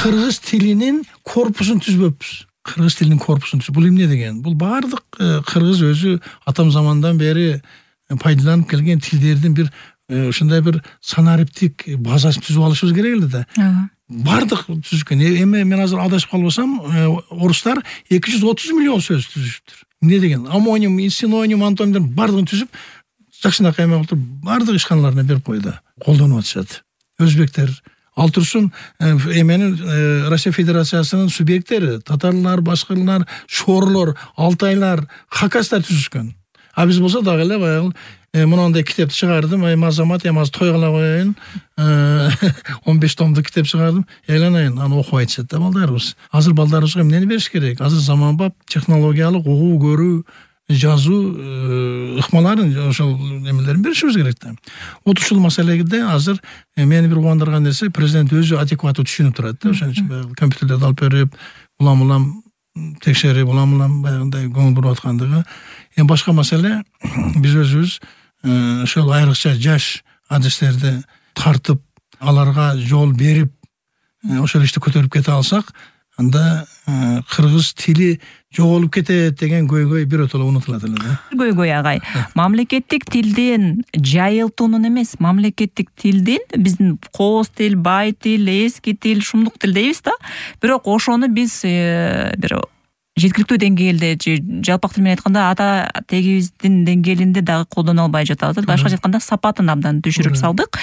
кыргыз тилинин корпусун түзбөппүз. Кыргыз тилинин корпусун бул эмне деген? Бул бардык кыргыз өзү атам замандан бери пайдаланып келген тилдердин бир ушундай бир санариптик базасын түзүп алышыбыз керек эле да. Бардык түзүшкөн. Эми мен азыр адашып калбасам, орустар 230 миллион сөз түзүшүптүр. Эмне деген? Амоним, синоним, антоним бардыгын түзүп, жакшынакай эмес бардык ишканаларына берип койду. Колдонуп атышат. Өзбектер ал турсун эменин Россия Федерациясынын субъекттери, татарлар, башкырлар, шорлор, алтайлар, хакастар түзүшкөн. А биз болсо дагы эле баягы мынандай китепти чыгардым, азамат азыр той кыла коеюн, 15 томдук китеп чыгардым, айланайын, аны окуп айтышат да балдарыбыз. Азыр балдарыбызга эмнени бериш керек? Азыр заманбап технологиялык угуу, көрүү, жазуу ыкмаларын, ошол немелерин беришибиз керек да. Вот ушул маселеде азыр мени бир кубандырган нерсе, президент өзү адекваттуу түшүнүп турат да, ошон үчүн компьютерлерди алып берип, улам текшерип, улам баягындай көңүл буруп аткандыгы. Эми башка маселе, биз өзүбүз ошол айрыкча жаш адистерди тартып, аларга жол берип, ошол ишти көтөрүп кете алсак, анда кыргыз тили жоголуп кетет деген көйгөй биротоло унутулат эле да. Көйгөй агай. Мамлекеттик тилдин жайылтуунун эмес, мамлекеттик тилдин биздин кооз тил, бай тил, эски тил, шумдук тил дейбиз да. Бирок ошону биз бир жеткиликтүү деңгээлде же жалпак тил менен айтканда ата тегибиздин деңгээлинде дагы колдоно албай жатабыз. Башкача айтканда сапатын абдан түшүрүп салдык.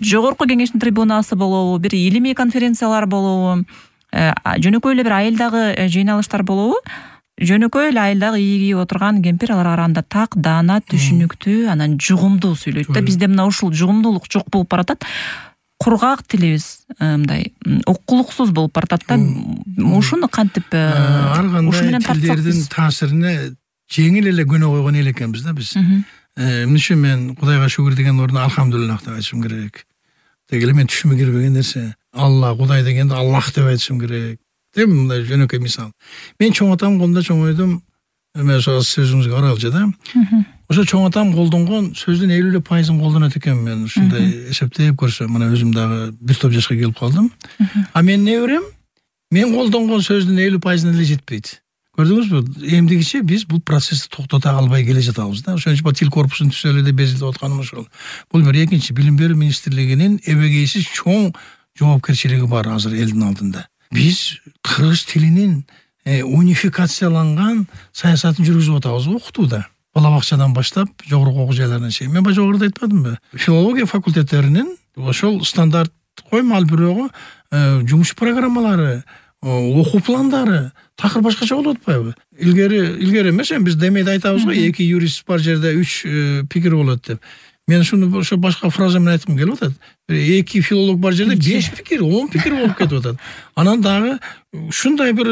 Жогорку кеңештин трибунасы болобу, бир илимий конференциялар болобу, жөнөкөй эле бир айылдагы жыйналыштар болобу, жөнөкөй эле айылдагы ийи кийип отырган кемпир алар арасында так, даана, түшүнүктүү, анан жугумдуу сүйлөйт да. Бизде мына ушул жугумдуулук жок болуп баратат. Кургак тилибиз мындай окулуксуз болуп баратат да. Ушуну кантип ушу менен тилдердин таасирине жеңил эле көнө койгон эл экенбиз да биз. Эмне үчүн мен Кудайга шүгүр деген ордуна алхамдулиллах деп айтышым керек. Деги эле мен түшүмө кирбеген нерсе. Алла, Кудай дегенде Аллах деп айтышым керек. Деп мындай жөнөкөй мисал. Мен чоң атам колунда чоңойдум. Мен ошо сөзүңүзгө каралчы да. Ошо чоң атам колдонгон сөздүн 50% колдонот экен. Мен ушундай эсептеп көрсөм, мына өзүм дагы бир топ жашка келип калдым. А мен неберем? Мен колдонгон сөздүн 50%-ына эле жетпейт. Көрдүңүзбү? Эмдигиче биз бул процессти токтото албай келе жатабыз да. Ошон үчүн тил корпусун түзөлө деп безилип атканым ошол. Бул бир экинчи билим берүү министрлигинин эбегейсиз чоң жоопкерчилиги бар азыр элдин алдында. Биз кыргыз тилинин унификацияланган саясатын жүргүзүп атабыз окутууда. Бала бакчадан баштап жогорку окуу жайларына чейин. Мен жогоруда айтпадымбы? Филология факультеттеринин ошол стандарт коймал бирөөгө жумуш программалары, окуу пландары такыр башкача болуп атпайбы? Илгери эмес, биз демейде айтабыз го, 2 юрист бар жерде 3 пикир болот деп. Мен ушуну ошо башка фраза менен айткым келип атат. 2 филолог бар жерде 5 пикир, 10 пикир болуп кетип атат. Анан дагы ушундай бир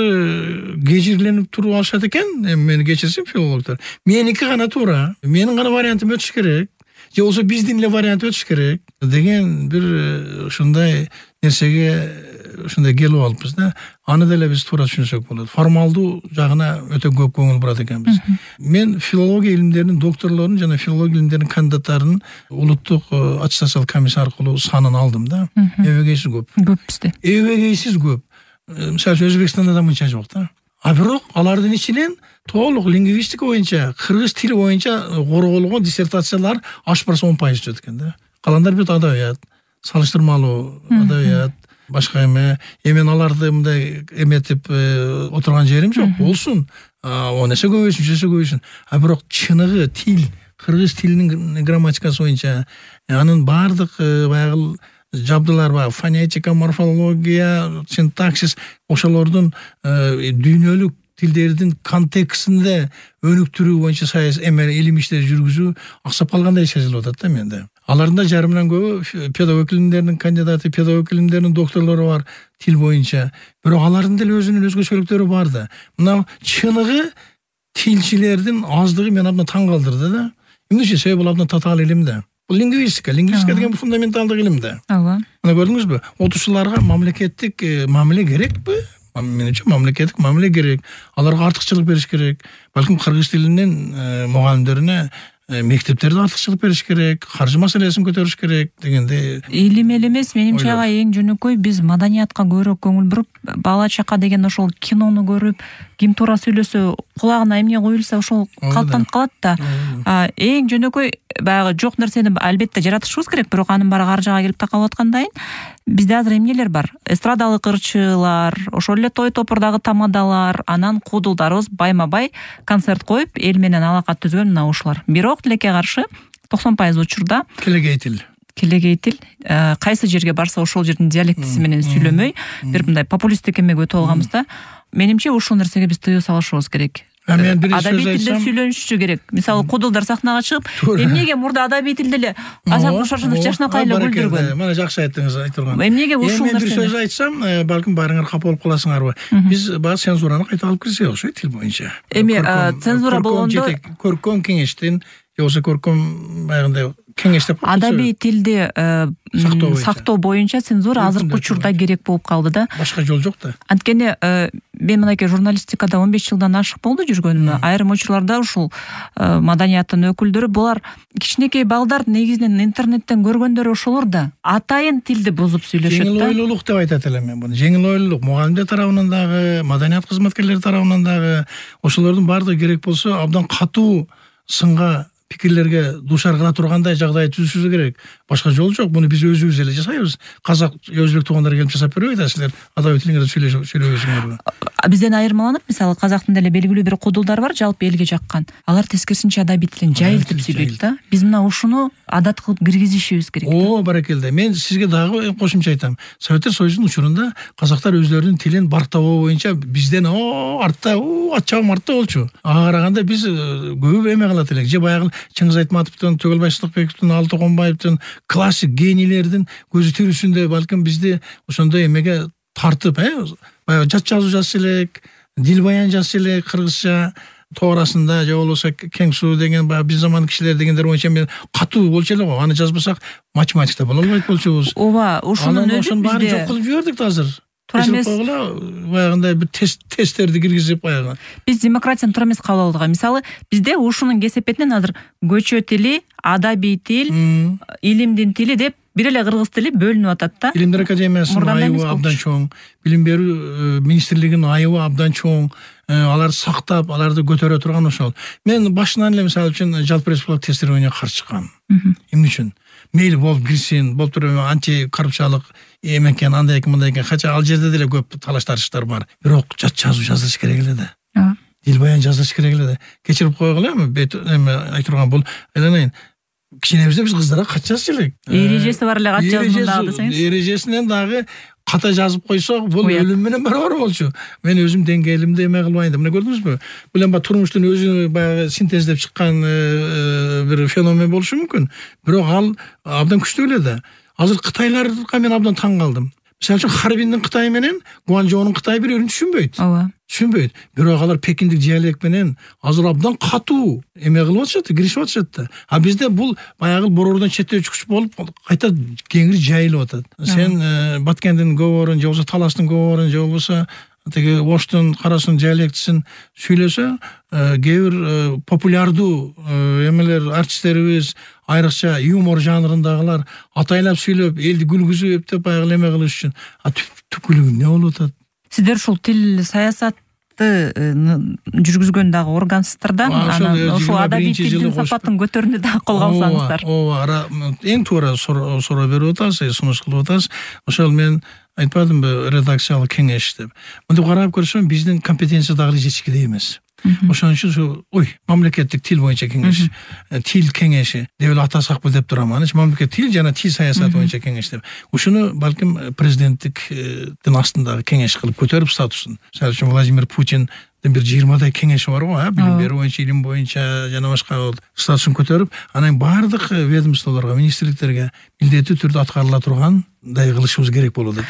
кежирленип туруп алышат экен. Мени кечирсин филологдор. Меники гана туура, менин гана вариантым өтүш керек. Же болсо биздин эле вариант өтүш керек деген бир ушундай нерсеге ушундай келип алыппыз да. Аны деле биз туура түшүнсөк болот. Формалдуу жагына өтө көп көңүл бурат экенбиз. Мен филология илимдеринин докторлорун жана филология илимдеринин кандидаттарын улуттук аттестациялык комиссия аркылуу санын алдым да. Эбегейсиз көп. Көп бизде. Эбегейсиз көп. Мисалы Өзбекстанда да мынча жок да. А бирок алардын ичинен толук лингвистика боюнча, кыргыз тили боюнча корголгон диссертациялар ашпарса 10% жүрөт экен да. Калгандар бит адабият, салыштырмалуу адабият, башка эме. Мен аларды мындай эметип отурган жерим жок. Болсун. О нерсе көбөйсүн. А бирок чыныгы тил, кыргыз тилинин грамматикасы боюнча анын бардык баягы жабдылар бар, фонетика, морфология, синтаксис, ошолордун дүйнөлүк тилдердин контекстинде өнүктүрүү боюнча илим иштер жүргүзүү аксап калгандай сезилип атат да менде. Алардын жарымынан көбү педагог илимдеринин кандидаты, педагог илимдеринин докторлору бар тил боюнча. Бирок алардын деле өзүнүн өзгөчөлүктөрү бар да. Мына чыныгы тилчилердин аздыгы мени абдан таң калтырды да. Эмне үчүн? Себеби бул абдан татаал илим да. Бул лингвистика деген фундаменталдык илим да. Ооба. Мына көрдүңүзбү? Окуучуларга мамлекеттик мамиле керекпи? Менимче мамлекеттик мамиле керек. Аларга артыкчылык бериш керек. Балким кыргыз тилинин мугалимдерине мектептерде артыкчылык бериш керек, каржы маселесин көтөрүш керек дегенде. Илим эле эмес, менимче ага эң жөнөкөй биз маданиятка көбүрөөк көңүл буруп, бала чака деген ошол кинону көрүп, ким туура сүйлөсө, кулагына эмне коюлса ошол калыптанып калат да. Эң жөнөкөй баягы жок нерсени албетте жаратышыбыз керек, бирок анын баары каржыга келип такалып аткандан кийин бизде азыр эмнелер бар? Эстрадалык ырчылар, ошол эле той топурдагы тамадалар, анан куудулдарыбыз байма-бай концерт коюп, эл менен алака түзгөн мына ушулар. Бирок тилекке каршы 90% учурда келегейтил кайсы жерге барса ошол жердин диалектиси менен сүйлөмөй, бир мындай популисттик эмеге өтүп алганбыз да. Менимче ушул нерсеге биз тыюу салышыбыз керек. Адабий тилде сүйлөнүшү керек. Мисалы куудулдар сахнага чыгып, эмнеге мурда адабий тилде эле Азат Кушашынов жакшынакай эле күлдүргөн. Мына жакшы айттыңыз, айтылган. Эмнеге ушул нерсени? Мен бир сөз айтсам, балким баарыңар капа болуп каласыңарбы? Биз баягы цензураны кайта алып кирсек окшойт тил боюнча. Цензура болгондо көркөм кеңештин, же болбосо көркөм баягындай кеңеш деп адабий тилди сактоо боюнча цензура азыркы учурда керек болуп калды да. Башка жол жок да. Анткени мен мынакей журналистикада 15 жылдан ашык болду жүргөнүм. Айрым учурларда ушул маданияттын өкүлдөрү булар кичинекей балдар негизинен интернеттен көргөндөрү ошолор да. Атайын тилди бузуп сүйлөшөт да. Жеңил ойлуулук деп айтат элем мен буну. Жеңил ойлуулук мугалимдер тарабынан дагы, маданият кызматкерлери тарабынан дагы ошолордун баардыгы керек болсо абдан катуу сынга пикирлерге дуушар кыла тургандай жагдай түзүшүбүз керек. Башка жол жок. Муну биз өзүбүз эле жасайбыз. Казак, өзбек туугандар келип жасап бербейт, силер адабий тилиңерде сүйлөбөйсүңөр. Бизден айырмаланып, мисалы казактын деле белгилүү бир куудулдар бар, жалпы элге жаккан. Алар тескерисинче адабий тилин жайылтып сүйлөйт да. Биз мына ушуну адат кылып киргизишибиз керек. Баракелде. Мен сизге дагы кошумча айтам. Советтер Союзунун учурунда казактар өзлөрүнүн тилин барктабоо боюнча бизден артта, ачабым артта болчу. Ага караганда биз көп эме кылат элек. Же баягы Чыңгыз Айтматовдун, Төгөлбай Сыдыкбековдун, Алтыконбаевдин классик генийлердин көзү тирүүсүндө балким бизди ошондой эмеге тартып, баягы жат жазуу жазса элек, дил баян жазса элек кыргызча тоорасында, же болбосо Кең суу деген баягы биз заман кишилер дегендер боюнча мен катуу болчу эле го. Аны жазбасак математикте боло албайт болчубуз. Ошонун өзү баарын жок кылып жибердик да азыр. Туура эмес. Баягындай бир тесттерди киргизип баягы. Биз демократияны туура эмес кабыл алдык. Мисалы, бизде ушунун кесепетинен азыр көчө тили, адабий тил, илимдин тили деп бир эле кыргыз тили бөлүнүп атат да. Илимдер академиясынын айыбы абдан чоң, билим берүү министрлигинин айыбы абдан чоң. Алар сактап, аларды көтөрө турган ошол. Мен башынан эле мисалы үчүн жалпы республикалык тестированияга каршы чыккам. Эмне үчүн? Мейли болуп кирсин, болуп туруп анти коррупциялык экен, андай экен, мындай экен. Кача ал жерде деле көп талаш тартыштар бар. Бирок жат жазуу жазылыш керек эле да. Дил баян жазылыш керек эле да. Кечирип койгула эми айтырган бул айланайын. Кичинебизде биз кыздарга кат жазчу элек. Эрежеси бар эле кат жазган дагы десеңиз. Эрежесинен дагы ката жазып койсок, бул өлүм менен барабар болчу. Мен өзүм деңгээлимде эме кылбайын деп. Мына көрдүңүзбү? Бул эми турмуштун өзү баягы синтездеп чыккан бир феномен болушу мүмкүн. Бирок ал абдан күчтүү эле да. Азыр кытайларга мен абдан таң калдым. Мисалы үчүн Харбиндин Кытай менен Гуанчжоунун Кытай бири-бирин түшүнбөйт. Түшүнбөйт. Бирок алар пекиндик диалект менен азыр абдан катуу эме кылып атышат, киришип атышат да. А бизде бул баягы борордон четтөөчүкүч болуп кайта кеңири жайылып атат. Сен Баткендин көбөрүн, же болбосо Таластын көбөрүн, же болбосо тиги Оштун, Карасунун диалектисин сүйлөсө, кээ бир популярдуу эмелер, артисттерибиз, айрыкча юмор жанрындагылар атайлап сүйлөп, элди күлгүзүп деп баягы эме кылыш үчүн. Түпкүлүгү эмне болуп атат? Сиздер ушул тил саясатты жүргүзгөн дагы органсыздар да. Ошол адабий тилдин сапатын көтөрүүнү дагы колго алсаңыздар. Эң туура суроо берип атасыз, сунуш кылып атасыз. Ошол мен айтпадымбы, редакциялык кеңеш деп. Мынтип карап көрсөм, биздин компетенция дагы жетишкидей эмес. Ошон үчүн мамлекеттик тил боюнча кеңеш, тил кеңеши деп эле атасакпы деп турам. Анан мамлекеттик тил жана тил саясаты боюнча кеңеш деп. Ушуну балким президенттиктин астындагы кеңеш кылып көтөрүп статусун. Мисалы үчүн Владимир Путин бир 20дай кеңеши бар го, билим берүү боюнча, илим боюнча жана башка статусун көтөрүп, анан баардык ведомстволорго, министрликтерге милдеттүү түрдө аткарыла тургандай кылышыбыз керек болот да.